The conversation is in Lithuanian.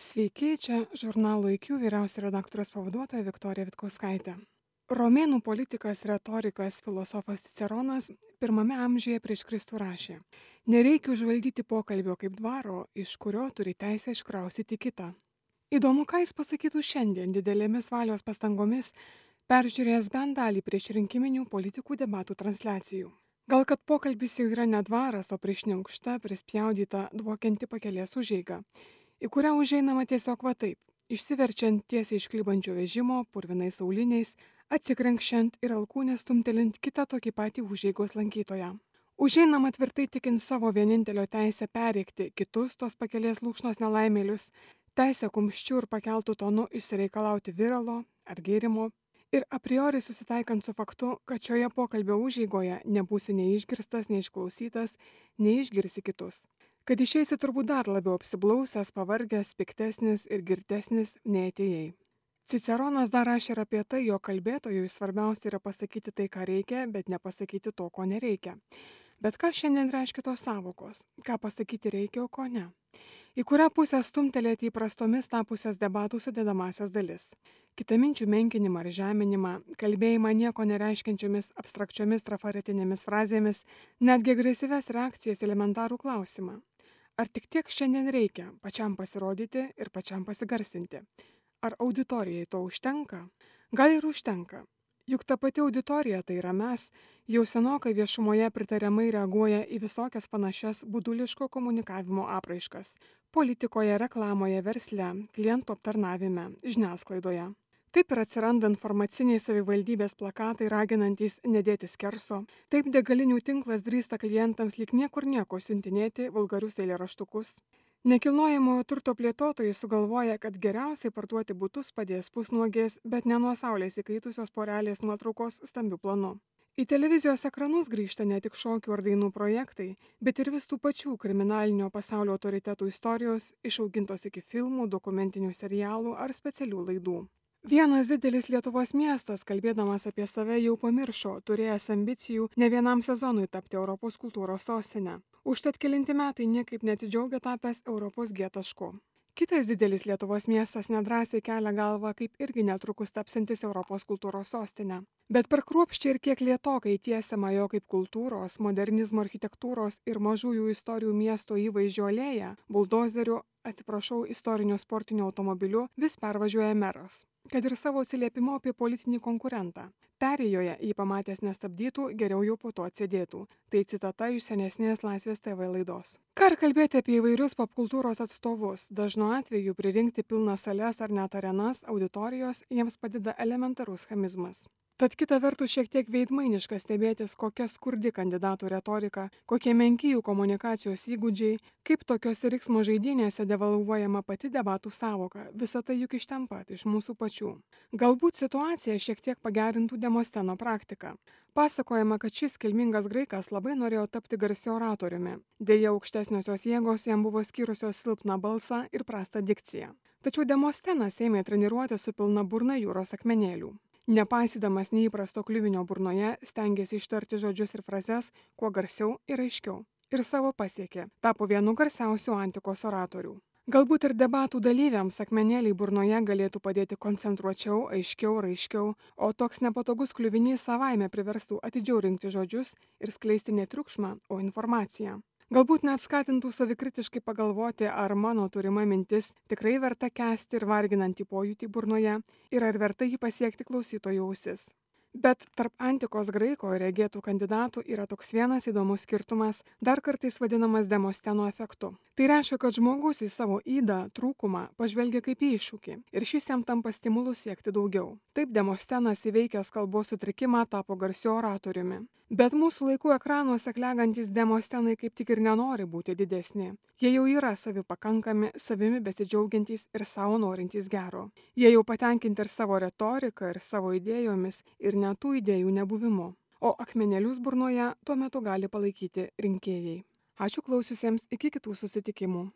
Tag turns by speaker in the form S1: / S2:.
S1: Sveiki, čia žurnalo IQ vyriausia redaktorės pavaduotoja Viktorija Vitkauskaitė. Romėnų politikas, retorikas, filosofas Ciceronas pirmame amžiuje prieš Kristų rašė: nereikia užvaldyti pokalbio kaip dvaro, iš kurio turi teisę iškrausyti kitą. Įdomu, ką jis pasakytų šiandien didelėmis valios pastangomis, peržiūrėjęs bent dalį prieš rinkiminių politikų debatų transliacijų. Gal kad pokalbis jau yra ne dvaras, o prišniaukšta, prispjaudyta, dvokianti pakelės užeiga, į kurią užeinama tiesiog va taip, išsiverčiant tiesiai iš klybančio vežimo, purvinais auliniais, atsikrenkščiant ir alkūnę stumtelint kitą tokį patį užeigos lankytoją. Užeinama tvirtai tikint savo vienintelio teisę perrėkti kitus tos pakelės lūšnos nelaimėlius, teisę kumščių ir pakeltų tonu išsireikalauti viralo ar gėrimo, ir a priori susitaikant su faktu, kad šioje pokalbio užeigoje nebūsi nei išgirstas, nei išklausytas, nei išgirsi kitus. Kad išeisi turbūt dar labiau apsiblausęs, pavargęs, piktesnis ir girtesnis nei atėjai. Ciceronas dar rašė ir apie tai, jo kalbėtojui svarbiausia yra pasakyti tai, ką reikia, bet nepasakyti to, ko nereikia. Bet ką šiandien reiškia tos sąvokos? Ką pasakyti reikia, o ko ne? Į kurią pusę stumtelėti įprastomis tapusias debatų sudedamasias dalis? Kitaminčių menkinimą ar žeminimą, kalbėjimą nieko nereiškiančiomis abstrakčiomis trafaretinėmis frazėmis, netgi agresyves reakcijas elementarų klausimą. Ar tik tiek šiandien reikia pačiam pasirodyti ir pačiam pasigarsinti? Ar auditorijai to užtenka? Gal ir užtenka. Juk ta pati auditorija, tai yra mes, jau senokai viešumoje pritariamai reaguoja į visokias panašias buduliško komunikavimo apraiškas – politikoje, reklamoje, versle, klientų aptarnavime, žiniasklaidoje. Taip ir atsiranda informaciniai savivaldybės plakatai raginantys nedėti skerso, taip degalinių tinklas drįsta klientams lyg niekur nieko siuntinėti vulgarius eilėraštukus. Nekilnojamojo turto plėtotojai sugalvoja, kad geriausiai parduoti butus padės pusnuogės, bet ne nuo saulės įkaitusios porelės nuotraukos stambiu planu. Į televizijos ekranus grįžta ne tik šokių ar dainų projektai, bet ir vis tų pačių kriminalinio pasaulio autoritetų istorijos, išaugintos iki filmų, dokumentinių serialų ar specialių laidų. Vienas didelis Lietuvos miestas, kalbėdamas apie save, jau pamiršo, turėjęs ambicijų ne vienam sezonui tapti Europos kultūros sostine. Užtat kelinti metai niekaip neatsidžiaugia tapęs Europos G tašku. Kitas didelis Lietuvos miestas nedrąsiai kelia galvą, kaip irgi netrukus tapsantis Europos kultūros sostine. Bet per kruopščiai ir kiek lėtokai tiesiama jo kaip kultūros, modernizmo architektūros ir mažųjų istorijų miesto įvaizdžio alėja, buldozeriu, istoriniu sportiniu automobiliu vis pervažiuoja meras. Kad ir savo atsiliepimu apie politinį konkurentą. Perėjoje jį pamatęs nestabdytų, geriau jau po to atsėdėtų. Tai citata iš senesnės Laisvės TV laidos. Ką ir kalbėti apie įvairius popkultūros atstovus, dažnu atveju pririnkti pilnas sales ar net arenas, auditorijos jiems padeda elementarus chamizmas. Tad kita vertus šiek tiek veidmainiška stebėtis, kokia skurdi kandidatų retorika, kokie menki jų komunikacijos įgūdžiai, kaip tokiose riksmo žaidynėse devalvuojama pati debatų sąvoka, visa tai juk iš ten pat, iš mūsų pačių. Galbūt situaciją šiek tiek pagerintų Demosteno praktika. Pasakojama, kad šis kilmingas graikas labai norėjo tapti garsiu oratoriumi. Deja, aukštesniosios jėgos jam buvo skyrusios silpną balsą ir prastą dikciją. Tačiau Demostenas ėmė treniruoti su pilna burna jūros akmenėlių. Nepaisydamas neįprasto kliuvinio burnoje, stengėsi ištarti žodžius ir frazes kuo garsiau ir aiškiau. Ir savo pasiekė, tapo vienu garsiausių antikos oratorių. Galbūt ir debatų dalyviams akmenėliai burnoje galėtų padėti koncentruočiau, aiškiau, raiškiau, o toks nepatogus kliuvinys savaime priverstų atidžiau rinkti žodžius ir skleisti ne triukšmą, o informaciją. Galbūt net skatintų savikritiškai pagalvoti, ar mano turima mintis tikrai verta kęsti ir varginantį pojūtį burnoje ir ar verta jį pasiekti klausytojų ausis. Bet tarp antikos graiko ir regėtų kandidatų yra toks vienas įdomus skirtumas, dar kartais vadinamas Demosteno efektu. Tai reiškia, kad žmogus į savo ydą, trūkumą pažvelgia kaip į iššūkį ir šis jam tampa stimulu siekti daugiau. Taip Demostenas įveikęs kalbos sutrikimą tapo garsiu oratoriumi. Bet mūsų laikų ekranuose klegantys Demostenai kaip tik ir nenori būti didesni. Jie jau yra savipakankami, savimi besidžiaugiantys ir savo norintys gero. Jie jau patenkinti ir savo retorika, ir savo idėjomis, ir net tų idėjų nebuvimu. O akmenėlius burnoje tuo metu gali palaikyti rinkėjai. Ačiū klausiusiems, iki kitų susitikimų.